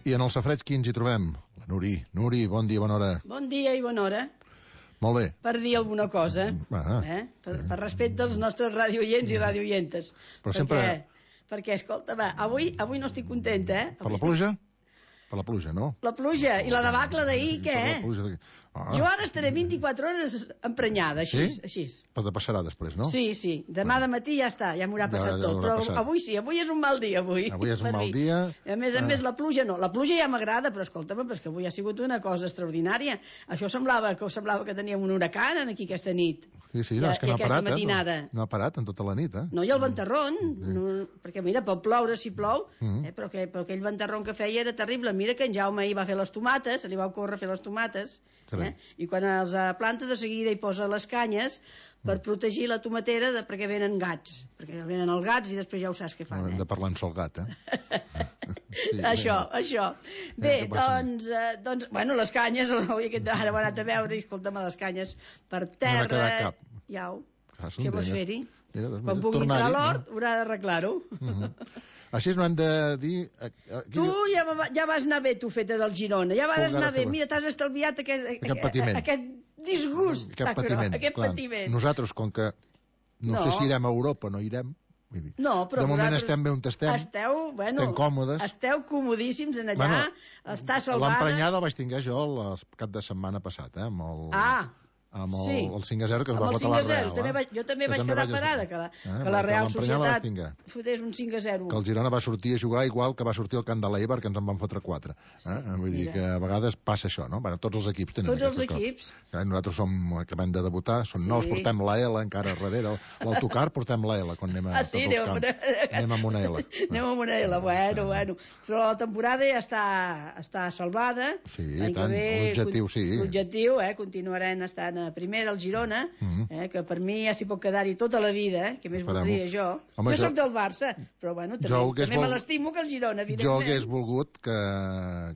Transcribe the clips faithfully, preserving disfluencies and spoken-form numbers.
I en el safareig qui ens hi trobem? La Nuri. Nuri, bon dia, bona hora. Bon dia i bona hora. Molt bé. Per dir alguna cosa, ah, eh? per, per respecte als nostres radioients i radioientes. Però sempre... Perquè, perquè escolta, va, avui, avui no estic contenta, eh? Per avui la pluja? Estic... Per la pluja, no? La pluja i la debacle d'ahir, què? Per la pluja d'ahir. Ah. Jo ara estaré vint-i-quatre hores emprenyada, així, sí? així. Però te passarà després, no? Sí, sí. Demà de matí ja està, ja m'haurà passat ja, ja tot. Però passat. avui sí, avui és un mal dia, avui. Avui és un mal dia. A més a ah. més, la pluja no. La pluja ja m'agrada, però escolta'm, perquè avui ha sigut una cosa extraordinària. Això semblava que semblava que teníem un huracan aquí aquesta nit. Sí, sí, no, és que no ha parat, matinada. eh? No, no ha parat en tota la nit, eh? No, i el ventarrón, mm. no, perquè mira, pot ploure si plou, mm. eh, però, que, però aquell ventarrón que feia era terrible. Mira que en Jaume ahir va fer les tomates, se li va ocórrer fer les tomates, eh? I quan els planta de seguida hi posa les canyes per protegir la tomatera de, perquè venen gats, perquè venen els gats i després ja ho saps què fan. No, hem eh? de parlar en sol gat, eh? sí, això, bé. això. Bé, eh, doncs, eh, doncs, bueno, les canyes, avui aquest ara ho he anat a veure i escolta'm, les canyes per terra... No n'ha quedat cap. Iau, ah, què vols fer-hi? Mira, doncs, quan pugui entrar a l'hort, no? Haurà d'arreglar-ho. Uh -huh. Així no hem de dir... Aquí... Tu ja, ja vas anar bé, tu, feta del Girona. Ja vas anar bé. Mira, t'has estalviat aquest, aquest patiment. Aquest disgust. Aquest patiment. Aquest clar. patiment. Nosaltres, com que no, no sé si irem a Europa, no irem. Vull dir, no, però de moment estem bé on estem. Esteu, bueno, estem còmodes. Esteu comodíssims en allà. Bueno, està salvada. L'emprenyada el vaig tinguer jo el cap de setmana passat, eh? Amb el... Ah, amb el, sí. el cinc a zero que es va fotre la Real. També vaig, jo també jo vaig també quedar vaig parada, que la, eh? que la Real Societat fotés un cinc a zero. Que el Girona va sortir a jugar igual que va sortir el camp de l'Eibar, que ens en van fotre quatre. Eh? Sí, Vull dir mira. que a vegades passa això, no? Bueno, tots els equips tenen tots els equips. Coses. Nosaltres som, acabem de debutar, són sí. nous, portem la L encara darrere. L'autocar portem la L quan anem a ah, sí, tots els camps. Una... anem amb una L. Anem amb una L, bueno, bueno. Però la temporada ja està, està salvada. Sí, tant, l'objectiu sí. L'objectiu, eh? Continuarem estant a primera al Girona, Mm -hmm. eh, que per mi ja s'hi pot quedar-hi tota la vida, eh, que més voldria jo. Home, jo, jo soc del Barça, però bueno, també, també vol... me l'estimo que el Girona, evidentment. Jo hagués volgut que,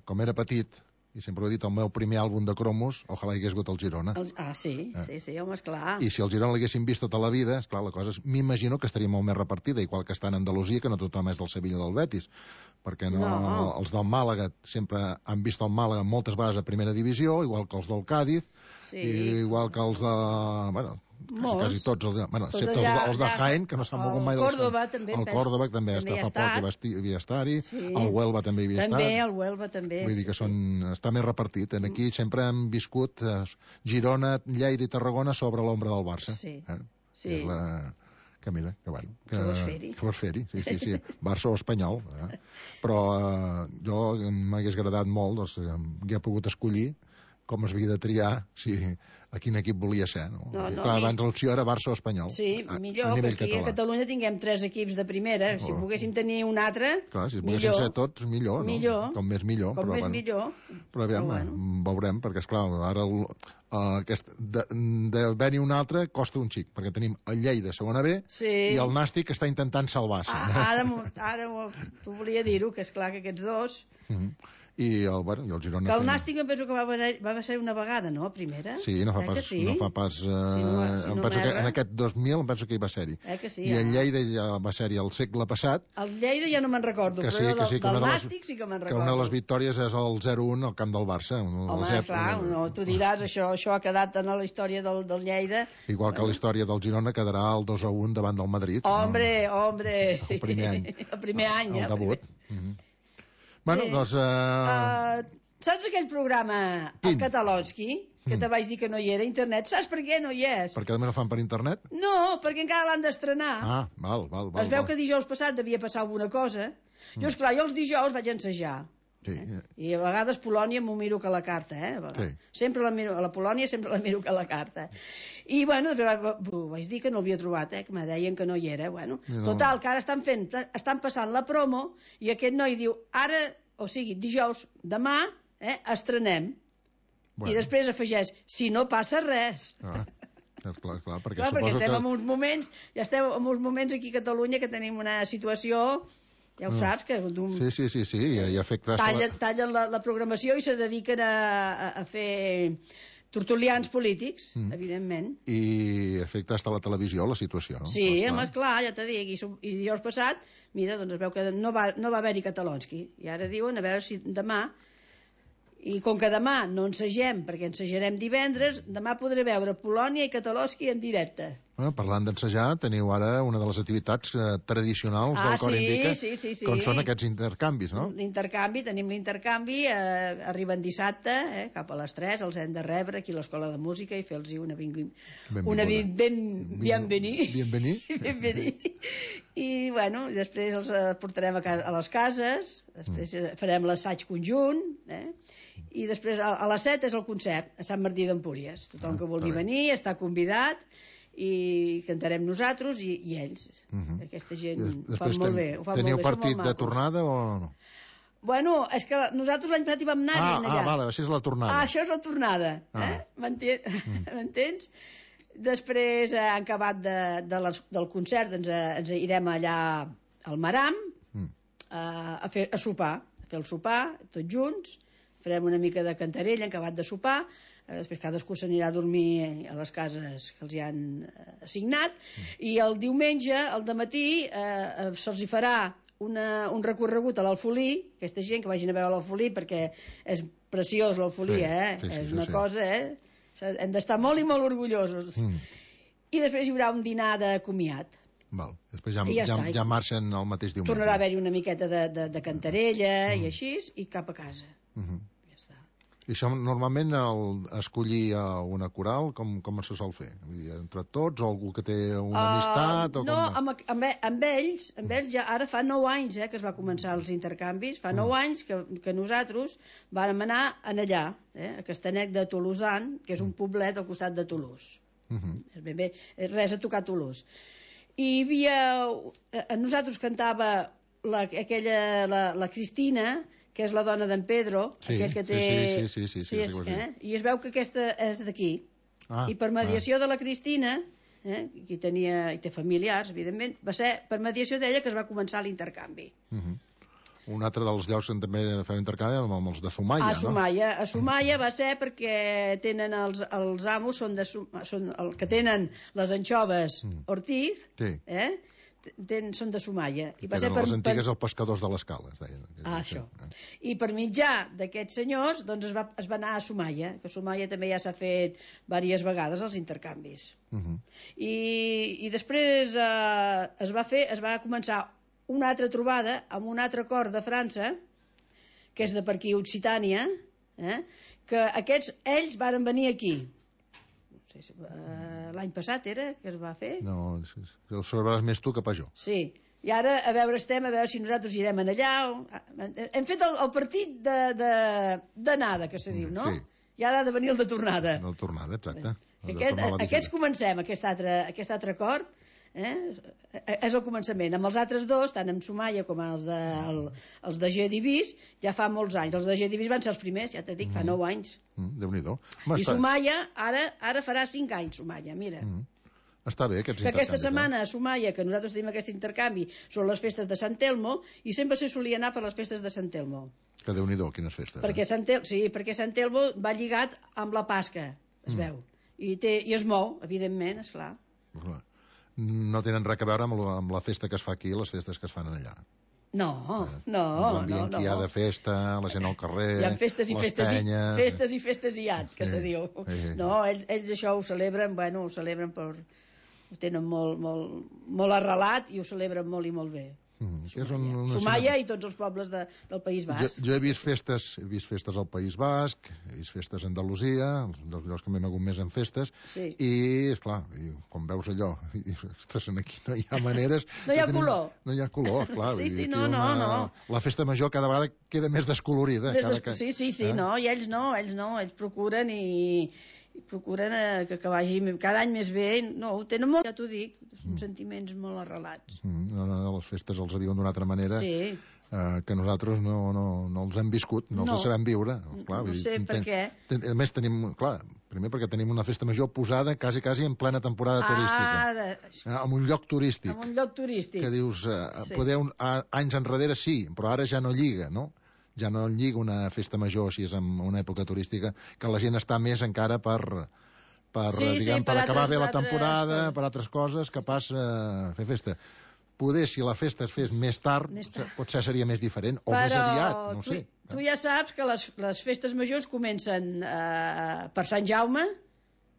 com era petit, i sempre ho he dit, el meu primer àlbum de cromos, ojalà hi hagués hagut el Girona. El... Ah, sí, eh? sí, sí, home, esclar. I si el Girona l'haguéssim vist tota la vida, esclar, la cosa m'imagino que estaria molt més repartida, igual que està en Andalusia, que no tothom és del Sevilla o del Betis, perquè no, no. els del Màlaga sempre han vist el Màlaga moltes vegades a primera divisió, igual que els del Cádiz, sí. i igual que els de... bueno, quasi, quasi tots els, bueno, tots ja, els de Jaén, que no s'han mogut mai del Córdoba, també, el Córdoba també, també està fa poc i havia estar-hi, sí. el Huelva també hi havia també, estat. També, el Huelva també. Vull dir que són, està més repartit. En aquí sempre hem viscut eh, Girona, Lleida i Tarragona sobre l'ombra del Barça. Sí, eh? sí. És la... que mira, que bueno que, que vols fer-hi que vols fer-hi, sí, sí, sí Barça o Espanyol, eh? però eh, jo m'hagués agradat molt doncs, que he pogut escollir com es havia de triar si a quin equip volia ser, no? no, no Clar, sí. abans l'opció era Barça o Espanyol. Sí, a, millor, a que aquí català. a Catalunya tinguem tres equips de primera, oh. si poguéssim tenir un altre, clar, si millor. poguessin ser tots, millor, no? Millor. Com més millor. Com però, més bueno, millor. Però aviam, però bueno. veurem, perquè esclar, ara el, uh, aquest, d'haver-hi un altre costa un xic, perquè tenim el Lleida segona B sí. i el Nàstic està intentant salvar-se. Ah, ara ara t'ho volia dir-ho, que esclar que aquests dos... Mm -hmm. I el, bueno, i el Girona... Que el Nàstic em penso que va, va ser una vegada, no?, primera? Sí, no fa pas... Sí? No fa pas uh, si no, si em no penso que en aquest dos mil em penso que hi va ser-hi. Eh que sí, I el ah. Lleida ja va ser-hi el segle passat. El Lleida ja no me'n recordo, que sí, però que sí, que del, del les, Nàstic sí que me'n recordo. Que una de les victòries és el zero un al camp del Barça. Home, esclar, no, tu diràs, això, això ha quedat en la història del, del Lleida. Igual que la història del Girona quedarà el dos a un davant del Madrid. Hombre, no? hombre, sí. El primer any. El primer any, el, eh? El debut. Uh -huh. Bueno, sí. doncs... Uh... Uh, saps aquell programa, Quin? el Catalonski, que mm. te vaig dir que no hi era a internet? Saps per què no hi és? Perquè també no fan per internet? No, perquè encara l'han d'estrenar. Ah, val, val, val. Es veu val. que dijous passat devia passar alguna cosa. Mm. Jo, esclar, jo els dijous vaig ensejar. Sí. Eh? I a vegades Polònia m'ho miro que a la carta, eh? Sí. Sempre la miro, a la Polònia sempre la miro que a la carta. I, bueno, vaig dir que no l'havia trobat, eh? Que me deien que no hi era. Bueno, no. Total, que ara estan fent, estan passant la promo i aquest noi diu, ara, o sigui, dijous, demà, eh, estrenem. Bueno. I després afegeix, si no passa res. Ah. Clar, clar, perquè, clar, perquè estem que... en uns moments, ja estem en uns moments aquí a Catalunya que tenim una situació, ja ho mm. saps, que sí, sí, sí, sí, hi ha afectat... Tallen, tallen la, la programació i se dediquen a, a, a fer tertulians polítics, mm. evidentment. I afecta hasta la televisió, la situació, no? Sí, home, esclar, ja t'ho dic. I, I dijous passat, mira, doncs es veu que no va, no va haver-hi Catalonski. I ara diuen, a veure si demà... I com que demà no ensegem, perquè ensejarem divendres, demà podré veure Polònia i Catalonski en directe. Bueno, parlant d'ensejar, teniu ara una de les activitats eh, tradicionals ah, del Cor sí, Indica, sí, sí, sí. com són aquests intercanvis, no? L'intercanvi, tenim l'intercanvi, eh, arriben dissabte, eh, cap a les tres, els hem de rebre aquí a l'Escola de Música i fer-los una, vingui... una ben... ben... bienvení. Bienvení. bienvení. I, bueno, després els portarem a, casa, a les cases, després mm. farem l'assaig conjunt, eh? I després a, a les set és el concert a Sant Martí d'Empúries. Tothom ah, que vulgui venir està convidat i cantarem nosaltres i, i ells. Uh -huh. Aquesta gent ho fa molt bé. Ho fa teniu molt bé, partit de tornada o no? Bueno, és que nosaltres l'any passat hi vam anar ah, allà. Ah, vale, això és la tornada. Ah, això és la tornada. Ah. Eh? M'entens? Mm. Després, eh, en acabat de, de les, del concert, ens, ens irem allà al Maram mm. a, a, fer, a sopar, a fer el sopar, tots junts, farem una mica de cantarella en acabat de sopar, eh, després cadascú s'anirà a dormir a les cases que els hi han eh, assignat, mm. i el diumenge, al dematí, eh, se'ls hi farà una, un recorregut a l'Alfolí, aquesta gent que vagin a veure l'Alfolí, perquè és preciós l'Alfolí, sí, eh? Sí, sí, és una sí, cosa, eh? Hem d'estar molt i molt orgullosos. Mm. I després hi haurà un dinar de comiat. Val. Després ja, ja, ja, ja marxen el mateix diumenge. Tornarà a haver-hi una miqueta de, de, de cantarella mm. i així, i cap a casa. Uh -huh. Ja està. I això normalment el, escollir a una coral com, com se sol fer? Vull dir, entre tots o algú que té una uh, amistat? O no, com... amb, amb, amb ells amb ells ja ara fa nou anys eh, que es va començar els intercanvis, fa nou uh -huh. anys que, que nosaltres vam anar en allà, eh, a Castanet de Tolosan, que és un poblet al costat de Toulouse. Uh -huh. Ben bé, res a tocar Toulouse. I hi havia... A nosaltres cantava la, aquella, la, la Cristina, que és la dona d'en Pedro, sí, aquell que té... Sí, sí, sí, sí, sí, sí, és, sí, sí. Eh? I es veu que aquesta és d'aquí. Ah, I per mediació ah. de la Cristina, eh? qui tenia, i té familiars, evidentment, va ser per mediació d'ella que es va començar l'intercanvi. Uh -huh. Un altre dels llocs on també feu intercanvi amb els de Sumaya, a no? Sumaya. A Sumaya va ser perquè tenen els, els amos, són, de, són el que tenen les anxoves mm. Ortiz, sí. eh? Ten, són de Sumaya. I va ser per, les antigues per... els pescadors de l'escala. Ah, això. I per mitjà d'aquests senyors doncs es va, es va anar a Sumaya, que a Sumaya també ja s'ha fet diverses vegades els intercanvis. Uh -huh. I, i després eh, es va fer, es va començar una altra trobada amb un altre cor de França, que és de per aquí Occitània, eh? que aquests, ells varen venir aquí. No sé si, uh, l'any passat era que es va fer? No, ho sabràs més tu que pas jo. Sí, i ara a veure estem, a veure si nosaltres irem allà. O... Hem fet el, el partit d'anada, de, de, que se diu, no? Sí. I ara ha de venir el de tornada. El de tornada, exacte. Aquest, aquests comencem, aquest altre, aquest altre acord, eh? És el començament. Amb els altres dos, tant amb Sumaya com els de, el, els de G. Divis, ja fa molts anys. Els de G. Divis van ser els primers, ja t'he dit, fa mm. nou anys. Mm, Déu-n'hi-do. I Sumaya, ara, ara farà cinc anys, Sumaya, mira. Mm. Està bé, aquests que aquesta setmana a Sumaya, que nosaltres tenim aquest intercanvi, són les festes de Sant Telmo, i sempre se solia anar per les festes de Sant Telmo. Que Déu-n'hi-do, quines festes. Perquè Sant Tel... Sí, perquè Sant Telmo va lligat amb la Pasca, es mm. veu. I, té, I es mou, evidentment, esclar. Clar. No tenen res a veure amb la, amb la festa que es fa aquí i les festes que es fan allà. No, eh, no, l'ambient no, no. que hi ha de festa, la gent al carrer, hi ha festes i les festes penyes... I, festes i festes i at, que sí, se diu. Sí. No, ells, ells això ho celebren, bueno, ho celebren per... ho tenen molt, molt, molt arrelat i ho celebren molt i molt bé. Mm, Sumaya. Un, una Sumaya i tots els pobles de, del País Basc. Jo, jo he vist festes he vist festes al País Basc, he vist festes a Andalusia, dels llocs que m'he mogut més en festes, sí. I, esclar, i, quan veus allò, i dius, ostres, aquí no hi ha maneres... no hi ha tenim, color. No hi ha color, clar. Sí, sí, no, una, no, no. La festa major cada vegada queda més descolorida. Més cada, des... Sí, sí, sí, eh? no, i ells no, ells no, ells procuren i... i procuren eh, que, que vagi cada any més bé. No, ho tenen molt, ja t'ho dic, són mm. sentiments molt arrelats. Mm, no, no, les festes els viuen d'una altra manera, sí. eh, que nosaltres no, no, no els hem viscut, no, no. els sabem viure. Clar, no sé per què. Ten, a més tenim, clar, primer perquè tenim una festa major posada quasi, quasi en plena temporada turística. Ara... Eh, en un lloc turístic. En un lloc turístic. Que dius, eh, sí. Podeu, a, anys enrere sí, però ara ja no lliga, no? ja no lliga una festa major així en una època turística, que la gent està més encara per... per, sí, diguem, sí, per, per acabar altres, bé la temporada, altres... per altres coses, que pas uh, fer festa. Poder, si la festa es fes més tard, més tard. potser seria més diferent, o Però més aviat, no tu, sé. Tu ja saps que les, les festes majors comencen uh, per Sant Jaume,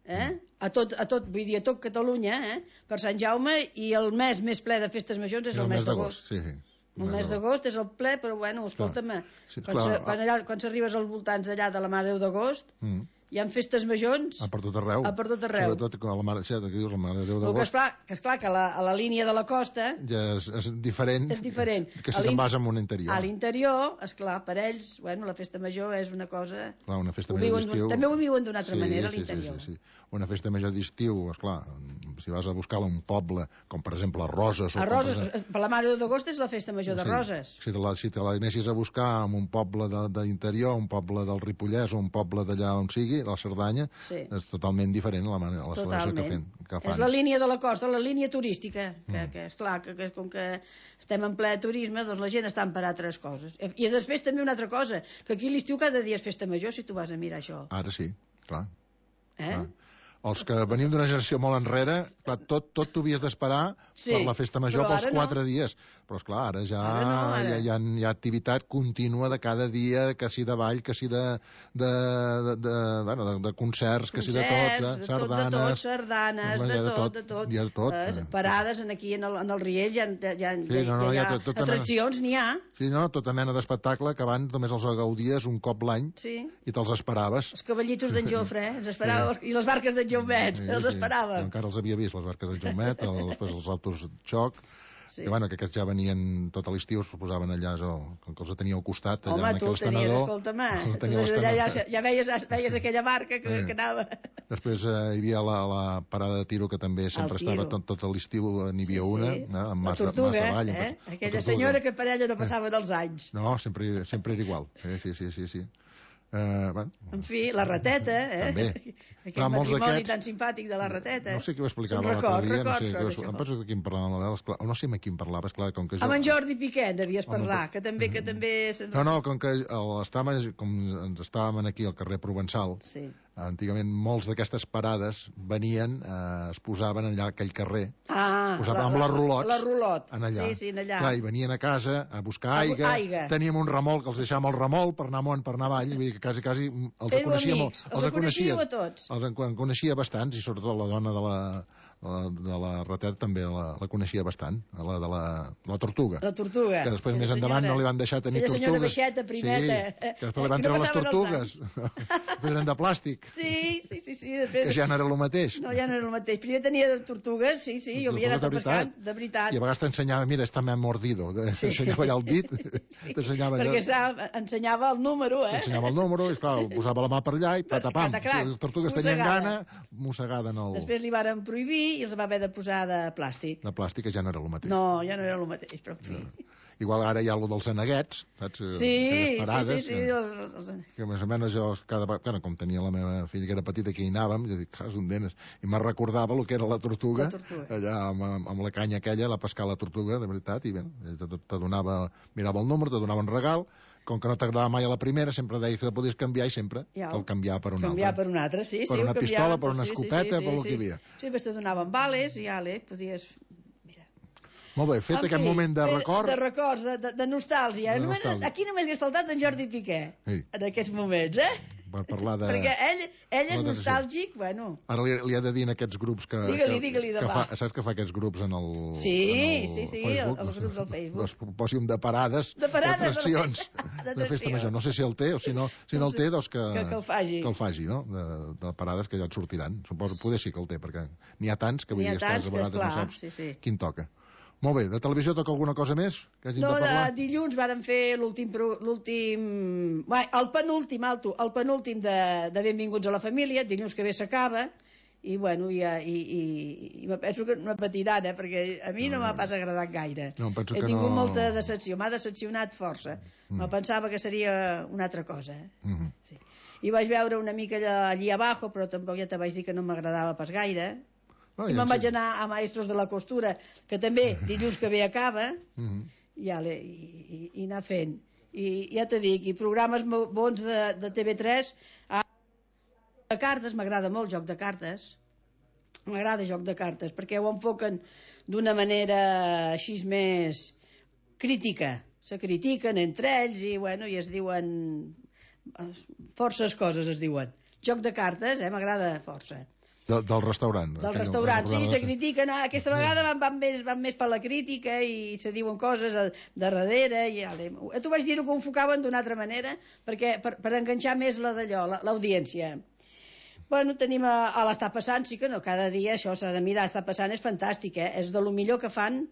eh? Mm. a, tot, a tot, vull dir, a tot Catalunya, eh? per Sant Jaume, i el mes més ple de festes majors és el, el mes d'agost. Sí, sí. El mes d'agost és el ple, però bueno, escolta'm, sí, quan, se, quan, allà, quan s'arribes als voltants d'allà de la Mare de Déu d'agost, mm. hi ha festes majors... A per tot arreu. A per tot arreu. Sobretot a la Mare, sí, aquí dius, la Mare de Déu d'agost. Que esclar, que, esclar, que la, a la línia de la costa... Ja és, és diferent. És diferent. Que si te'n vas a un interior. A l'interior, esclar, per ells, bueno, la festa major és una cosa... Clar, una festa major d'estiu... També ho viuen d'una altra sí, manera a sí, l'interior. Sí, sí, sí. Una festa major d'estiu, esclar, si vas a buscar un poble, com per exemple a Roses... A Roses, per, exemple... per la Mare d'agost és la festa major sí, de Roses. Si te la, si te la anessis a buscar en un poble de, de l'interior, un poble del Ripollès o un poble d'allà on sigui, la Cerdanya, sí. és totalment diferent la, la celebració que, fem, que fan. És la línia de la costa, la línia turística, que, mm. que és clar, que, que com que estem en ple turisme, doncs la gent està per altres coses. I després també una altra cosa, que aquí l'estiu cada dia és festa major, si tu vas a mirar això. Ara sí, clar. Eh? clar. Els que venim d'una generació molt enrere, clar, tot, tot t'ho havies d'esperar sí, per la festa major pels quatre no. dies. Però, esclar, ara ja ara no, ara. Hi, ha, hi, ha, hi ha activitat contínua de cada dia, que si de ball, que si de, de, de, de, bueno, de, de concerts, que si de tot, eh? sardanes... De tot, sardanes, de, de tot, de tot. Hi ha de tot. Eh, parades en aquí en el, en el Riell, hi ha, hi ha, sí, no, no, hi ha, hi ha tot, atraccions, n'hi ha. Sí, no, tota mena d'espectacle que abans només els gaudies un cop l'any sí. i te'ls esperaves. Els cavallitos d'en Jofre, eh? Els esperava, sí. I les barques d'en Jaumet, sí, els esperava. Sí. Encara els havia vist, les barques d'en Jaumet, el, després els autos xoc, sí. que, bueno, que aquests ja venien tot a l'estiu, es posaven allà, o, com que els teníeu al costat, allà Home, en aquell estenedor. Home, tu el tenies, allà ja, ja veies, veies aquella barca que, sí. que anava. Després eh, hi havia la, la parada de tiro, que també sempre estava tot, tot l'estiu, n'hi havia sí, una, sí. Eh, amb la tortuga, de ball, eh? Aquella tortuga. Senyora que per ella no passaven els anys. No, sempre, sempre era igual. Eh? Sí, sí, sí, sí. Uh, bueno. En fi, la rateta, eh? També. Aquest Clar, matrimoni tan simpàtic de la rateta. No sé qui ho explicava l'altre dia, no sé, que, em penso de qui em parlava la novel·la, no sé amb qui em parlava, esclar, com que jo... Amb en Jordi Piquet devies parlar, que també... Que també... No, no, com que estàvem, com ens estàvem aquí al carrer Provençal, sí. antigament molts d'aquestes parades venien, eh, es posaven allà a aquell carrer, ah, es posaven la, amb la rulot, la rulot. En allà. Sí, sí, en allà. Clar, i venien a casa a buscar aigua, aigua. Teníem un remol, que els deixàvem el remol per anar amunt, per anar avall, vull dir que quasi, quasi els Éreu coneixíem. Amics. Els, els coneixíeu a tots. Els en coneixia bastants, i sobretot la dona de la, la, de la rateta també la, la coneixia bastant, la de la, la tortuga. La tortuga. Que després més endavant no li van deixar tenir tortugues. Aquella senyora baixeta, primeta. Sí, que després li van treure les tortugues. Després eren de plàstic. Sí, sí, sí. sí després... Que ja no era el mateix. No, ja no era el mateix. Primer tenia tortugues, sí, sí, jo havia anat a pescar, de veritat. I a vegades t'ensenyava, mira, està m'ha mordido. T'ensenyava allà el dit. Sí, perquè allà... ensenyava el número, eh? Ensenyava el número, i clar, posava la mà per allà i patapam. Si les tortugues tenien gana, mossegada en el... Després li varen prohibir i els va haver de posar de plàstic. De plàstic, que ja no era el mateix. No, ja no era el mateix, però en fi. No. Igual ara hi ha allò dels aneguets, saps? Sí, parades, sí, sí. sí que, els, els... que més o menys jo, cada, bueno, com tenia la meva filla que era petita, que hi anàvem, jo dic, cas un denes, i me recordava el que era la tortuga, la tortuga. allà amb, amb la canya aquella, la pescar la tortuga, de veritat, i bé, te, te donava, mirava el número, te donava un regal, com que no t'agradava mai a la primera, sempre deies que podies canviar i sempre ja, el canviar per una canviar altra. per una altra, sí. Per sí, una pistola, per una sí, escopeta, sí, sí, per el sí, que hi havia. Sí, després te donaven bales i ale, podies... Molt bé, fet en aquest fi, moment de record... De records, de, de, de nostàlgia. De nostàlgia. Aquí només hagués faltat en Jordi Piqué, sí. en aquests moments, eh? Per parlar de... Perquè ell, ell és nostàlgic, bueno... Ara li, li ha de dir en aquests grups que... Digue-li, digue-li de fa, saps que fa aquests grups en el Sí, en el sí, sí, Facebook, el, els grups del Facebook. Doncs posi un de parades, de parades d'atraccions, de, de festa major. No sé si el té, o si no, si no el té, doncs que, que, que el faci. Que el faci, no? De, de parades que ja et sortiran. Suposo, poder sí que el té, perquè n'hi ha tants que vull dir, estàs a vegades no saps sí, sí. quin toca. Molt bé, de televisió toca alguna cosa més que hàgim no, de parlar? No, dilluns vàrem fer l'últim... l'últim... el penúltim, alto, el penúltim de, de Benvinguts a la Família, dilluns que ve s'acaba, i bueno, i, i, i, i me penso que no patiran, eh, perquè a mi no, no m'ha pas agradat gaire. No, penso He que tingut no... molta decepció, m'ha decepcionat força. Mm. Me pensava que seria una altra cosa. Eh? Mm -hmm. sí. I vaig veure una mica allà, allí abajo, però tampoc ja te vaig dir que no m'agradava pas gaire. Oh, I ja me'n vaig anar a Maestros de la Costura, que també dilluns que ve acaba, mm -hmm. i, ale, i, i, i anar fent. I ja t'he dit, i programes bons de, de T V tres, ah, de cartes, m'agrada molt joc de cartes, m'agrada joc de cartes, perquè ho enfoquen d'una manera així més crítica, se critiquen entre ells i, bueno, i es diuen forces coses, es diuen. Joc de cartes, eh, m'agrada força. De, del restaurant. Del restaurant, sí, se critiquen. Ah, aquesta vegada van, van, més, van més per la crítica i se diuen coses de, de darrere. I, ja, tu vaig dir que ho enfocaven d'una altra manera perquè, per, per enganxar més la d'allò, l'audiència. Bueno, tenim a, a l'Està passant, sí que no, cada dia això s'ha de mirar, està passant, és fantàstic, eh? És de lo millor que fan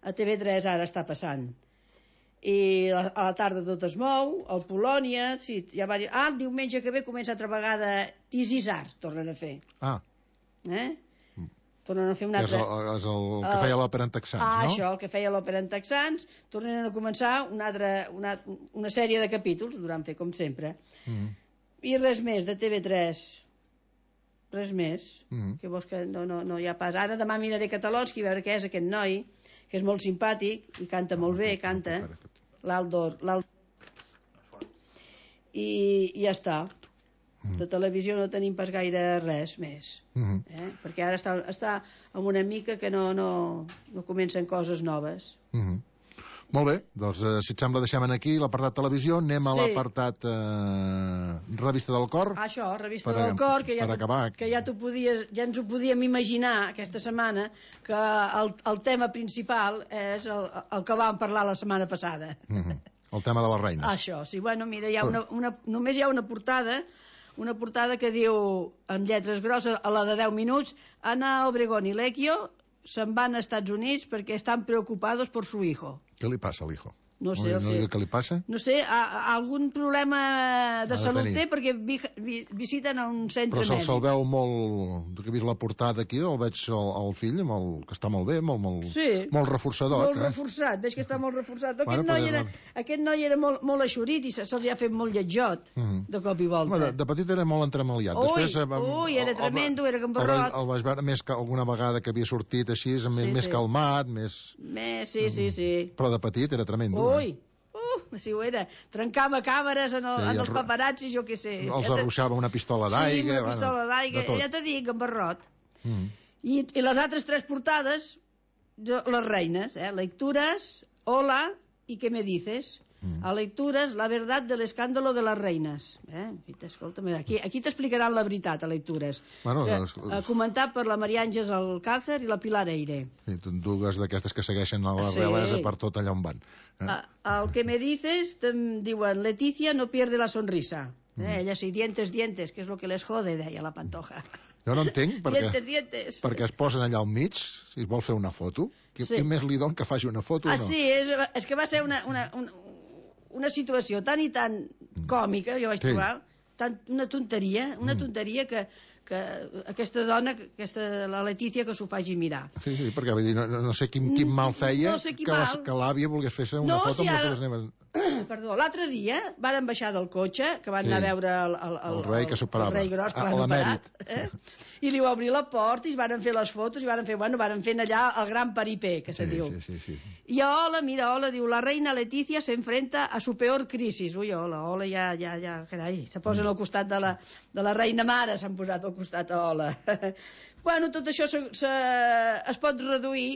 a T V tres ara està passant. I a la tarda tot es mou, el Polònia, sí, ja va dir, ah, el diumenge que ve comença altra vegada Tisisar, tornen a fer. Ah. Eh? Tornen a fer un altre... És el, és el que feia l'òpera en texans, ah, no? Ah, això, el que feia l'òpera en texans, tornen a començar una, altra, una, una sèrie de capítols, duran fer com sempre. Mm. I res més, de T V tres. Res més. Mm. Que vols que no, no, no hi ha pas. Ara demà miraré Catalonski, a veure què és aquest noi, que és molt simpàtic i canta molt bé, canta, l'Aldor, l'Aldor. I, i ja està. De televisió no tenim pas gaire res més, mm-hmm. eh? Perquè ara està, està amb una mica que no, no, no comencen coses noves. Mm-hmm. Molt bé, doncs eh, si et sembla deixem aquí l'apartat televisió, anem a sí. l'apartat eh, revista del cor. Ah, això, revista per, del cor, que ja, acabar... que ja, podies, ja ens ho podíem imaginar aquesta setmana, que el, el tema principal és el, el que vam parlar la setmana passada. Mm-hmm. El tema de les reines. Això, sí, bueno, mira, hi ha una, una, només hi ha una portada, una portada que diu, amb lletres grosses, a la de deu minuts, Ana Obregón i Lecchio se'n van als Estats Units perquè estan preocupados por su hijo. ¿Qué le pasa al hijo? No sé, no, no sé. ¿Qué le pasa? No sé, a, a algun problema de, de salut tenir. Té perquè vi, vi, visiten a un centre mèdic. Però se'l se veu molt... Que he vist la portada aquí, el veig el, el fill, el, que està molt bé, molt, molt, sí, molt reforçador. Molt eh? reforçat, veig que està molt reforçat. Aquest, bueno, noi, era, aquest noi era molt, molt eixorit i se'ls se, ha fet molt lletjot, uh -huh. de cop i volta. Home, de, de petit era molt entremaliat. Ui, Després, ui, era tremendo, era gambarrot. El, el vaig veure més que alguna vegada que havia sortit així, sí, més, sí. més calmat, més... Més, sí, sí, sí. Però de petit era tremendo. Ui, eh? Uh, si ho era, trencava càmeres en, el, sí, en els paparazzis, jo què sé. Els arruixava una pistola d'aigua. Sí, una pistola bueno, d'aigua, ja t'he dit, gambarrot. Mm. I, I les altres tres portades, jo, les reines, eh? Lectures, Hola i ¿Qué me dices? Mm. A Lectures, la verdad del escàndalo de les reines. Eh? Escolta'm, aquí, aquí t'explicaran la veritat, a Lectures. Bueno, que, les... eh, comentat per la Maria Àngels Alcácer i la Pilar Eire. Sí, dues d'aquestes que segueixen a la sí. realesa per tot allà on van. Eh? A, al que me dices, diuen, Leticia no pierde la sonrisa. Eh? Mm. Ella sí, dientes, dientes, que és lo que les jode, deia la Pantoja. Jo no entenc perquè, dientes, dientes. perquè es posen allà al mig, si es vol fer una foto. Qui, sí. qui més li don que faci una foto ah, o no? Sí, és, és que va ser una... una, una una situació tan i tan còmica, jo vaig sí. trobar, tan, una tonteria, una tonteria que, que aquesta dona, aquesta, la Letícia, que s'ho faci mirar. Sí, sí, perquè vull dir, no, no sé quin, quin mal feia no sé quin que, mal. que l'àvia volgués fer-se una no, foto si amb ara... les neves. Perdó, l'altre dia varen baixar del cotxe, que van sí. anar a veure el, el, el, el rei que s'operava. El rei gros, que l'han operat. Eh? I li va obrir la porta i es varen fer les fotos i varen fer, bueno, varen fer allà el gran paripé, que se sí, diu. Sí, sí, sí. I hola, mira, hola, diu, la reina Leticia se enfrenta a su peor crisis. Ui, hola, hola, ja, ja, ja, carai, se posen al costat de la, de la reina mare, s'han posat al costat a hola. Bueno, tot això se, se, es pot reduir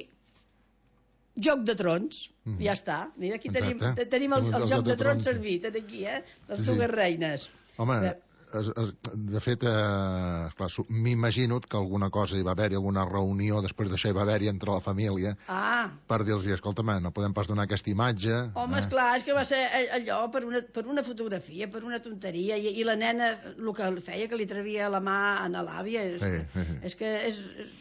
Joc de Trons, mm. ja està. Mira, aquí tenim, tenim el, el, el Joc de, de Trons servit, aquí, eh? Les sí, dues sí. reines. Home, es, es, de fet, eh, clar, m'imagino que alguna cosa hi va haver-hi, alguna reunió, després d'això hi va haver-hi entre la família, ah. per dir-los, escolta'm, no podem pas donar aquesta imatge. Home, eh? esclar, és que va ser allò per una, per una fotografia, per una tonteria, i, i la nena, el que feia, que li trevia la mà a l'àvia, és, sí, sí, sí. és que és... és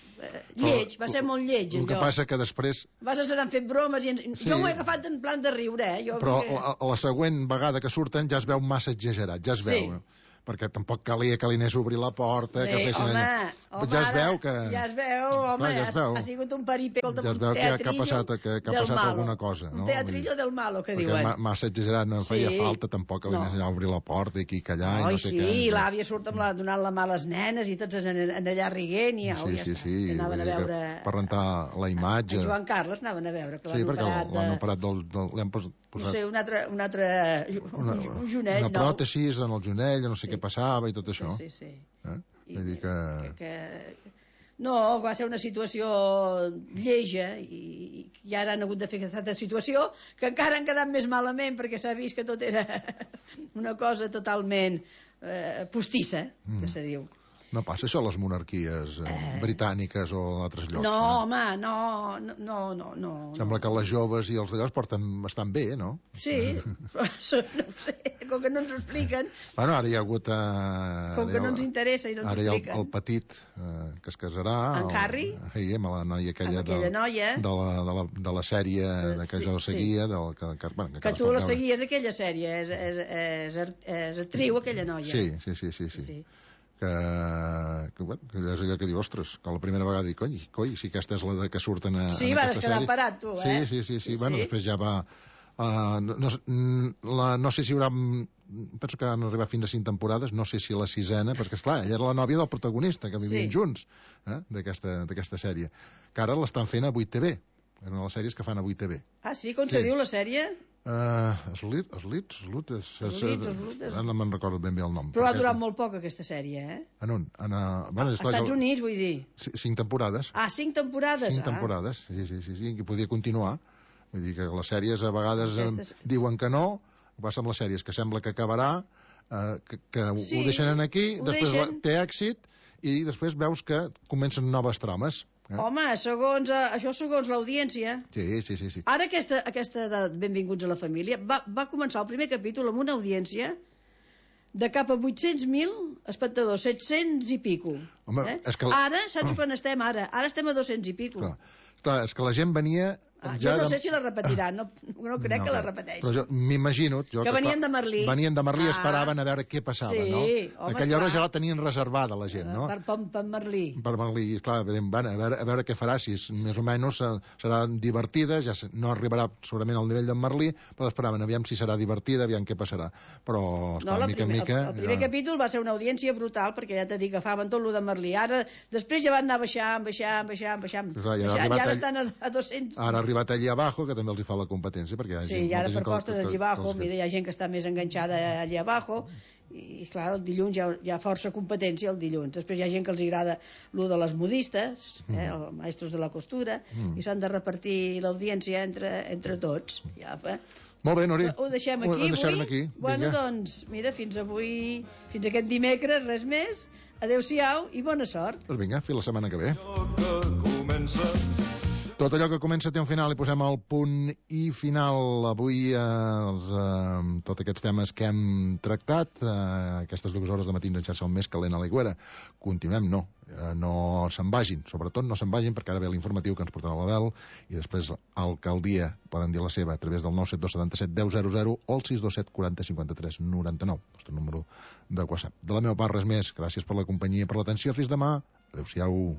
lleig, va ser molt lleig. El que passa que després... Vas a ser fent bromes i... Ens... Sí. Jo m'ho he agafat en plan de riure, eh? Jo, però perquè... la, la següent vegada que surten ja es veu massa exagerat, ja es sí. veu. perquè tampoc calia que li anés a obrir la porta, Bé, que fessin home, allà. home, Ja es veu que... Ja es veu, home, Clar, ja es veu. ha, ha sigut un peripé, ja es veu que, que ha passat, que, que ha passat malo. alguna cosa, no? Un teatrillo del malo, que diuen. Perquè massa exagerat, no feia Sí. falta tampoc que li No. anés a obrir la porta i aquí callar i Ai, no sé sí, què. i l'àvia surt amb la, donant la mà a les nenes i tots en, en allà riguent i au, Sí, ja sí, està. sí, Que anaven vull a dir que veure... per rentar la imatge. En Joan Carles anaven a veure, que Sí, l'han perquè operat de... l'han operat del... del l'han pos- No posat sé, un altre, un altre una, un jonell una nou. pròtesi en el jonell, no sé Sí. què passava i tot això. Sí, sí, sí. Eh? I Vull dir que... que, que... No, va ser una situació lleja i, i ara han hagut de fer aquesta situació que encara han quedat més malament perquè s'ha vist que tot era una cosa totalment eh, postissa, Mm. que se diu. No passa això a les monarquies eh, Eh. britàniques o a altres llocs. No, eh? home, no, no, no, no, no. Sembla que les joves i els d'allò es porten bastant bé, no? Sí, però això no ho sé, com que no ens ho expliquen, Bueno, ara hi ha hagut... Eh, com que no ens interessa i no ens ara ho hi ha el, expliquen. el petit eh, que es casarà. En el- Harry? Sí, amb la noia aquella, Amb aquella de, noia. de, la, de, la, de la sèrie de que Sí, jo sí. seguia, del, que, que, bueno, Que encara es tu pot la veure. seguies, aquella sèrie, és, és, és, art- és actriu, aquella noia. Sí, sí, sí, sí, sí. sí. Que, que, bueno, que és allò que diu, ostres, que la primera vegada dic, coi, coi, si aquesta és la de que surten a, Sí, en vas aquesta quedar sèrie. parat, tu, eh? Sí, sí, sí, sí, Sí, bueno, sí. després ja va... Uh, no, no, mm, la, no sé si hi haurà... mm, Penso que han arribat fins a cinc temporades, no sé si la sisena, perquè, esclar, ella era la nòvia del protagonista, que vivien Sí. junts, eh, d'aquesta d'aquesta sèrie. Que ara l'estan fent a vuit T V, en les sèries que fan a vuit T V. Ah, sí? Com Sí. se diu la sèrie? Uh, Eslit, Eslit, Eslit, és, és, Eslit, Eslit, és- ara no me'n recordo ben bé el nom. Però ha perquè- durat molt poc, aquesta sèrie, eh? En on? En, uh, bueno, Als Estats Units, vull dir. C- cinc temporades. Ah, cinc temporades? Cinc temporades, sí, sí, sí, sí, que podia continuar. Vull dir que les sèries a vegades eh, Aquestes- diuen que no, passa amb les sèries, que sembla que acabarà, eh, que, que Sí, ho deixen aquí, ho després deixen. té èxit, i després veus que comencen noves trames. Eh? Home, segons, eh, això segons l'audiència. Sí, sí, sí, sí. Ara aquesta, aquesta de Benvinguts a la família va, va començar el primer capítol amb una audiència de cap a vuit-cents mil espectadors, set-cents i pico. Home, eh? és que- Ara, saps quan estem ara? Ara estem a dos-cents i pico. Clar, clar, és que la gent venia... Ah, ja jo no de- sé si la repetiran, no, no crec No, que la clar. repeteixi. Però jo m'imagino... jo Que venien clar, de Merlí. Venien de Merlí i Ah. esperaven a veure què passava, Sí, no? home, Aquella hora esclar. ja la tenien reservada, la gent, no? Per, per, per Merlí. Per Merlí, clar, veiem, bueno, a, veure, a veure què farà, si és, més o menys eh, serà divertida, ja se- no arribarà segurament al nivell d'en Merlí, però esperaven, aviam si serà divertida, aviam què passarà. Però, esclar, No, la mica en primer, mica... el, el primer ja... capítol va ser una audiència brutal, perquè ja t'he dit que agafaven tot lo de Merlí. Ara, després ja van anar baixant, baixant, baixant, baixant. Clar, ja ha baixant, arribat i ara ell- estan a, a dos-cents. Ara ha arribat allí abajo, que també els hi fa la competència, perquè hi ha Sí, gent, i ara molta per gent que- postres que- allí que- abajo, que- mira, hi ha gent que està més enganxada allí abajo, i clar, el dilluns hi ha, hi ha força competència el dilluns. Després hi ha gent que els agrada lo de les modistes, eh, els maestros de la costura, Mm. i s'han de repartir l'audiència entre, entre tots. Ja, eh? Molt bé, Nori. Ho deixem Ho aquí deixarem avui? aquí. Bueno, Vinga. doncs, mira, fins avui, fins aquest dimecres, res més. Adéu-siau i bona sort. Doncs vinga, fins la setmana que ve. que comença Tot allò que comença té un final i posem el punt i final. Avui, eh, els, eh, tots aquests temes que hem tractat, eh, aquestes dues hores de matins en xarxa al mes que l'Helena Aligüera. Continuem, no. Eh, no se'n vagin. Sobretot no se'n vagin, perquè ara ve l'informatiu que ens portarà l'Abel i després alcaldia poden dir la seva a través del nou set dos set set deu zero zero o el sis dos set quaranta cinquanta tres noranta nou, el nostre número de WhatsApp. De la meva part, res més. Gràcies per la companyia i per l'atenció. Fins demà. Adéu-siau.